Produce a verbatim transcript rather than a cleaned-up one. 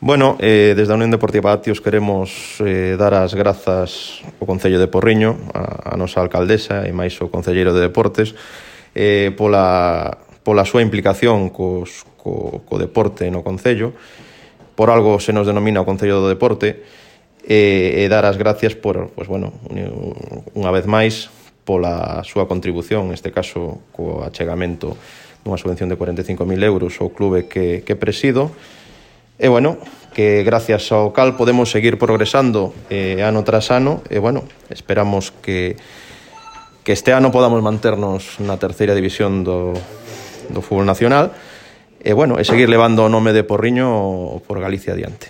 Bueno, eh, desde a Unión Deportiva Atios queremos eh, dar as grazas ao Concello de Porriño, a, a nosa alcaldesa e máis o Concelleiro de Deportes, eh, pola, pola súa implicación cos, co, co deporte no Concello. Por algo se nos denomina o Concello do Deporte, e, e dar as gracias por, pues, bueno, unha vez máis, pola súa contribución, neste caso co achegamento dunha subvención de cuarenta e cinco mil euros ao clube que, que presido. E, bueno, que gracias ao cal podemos seguir progresando eh, ano tras ano e, bueno, esperamos que, que este ano podamos manternos na terceira división do, do fútbol nacional e, bueno, e seguir levando o nome de Porriño por Galicia adiante.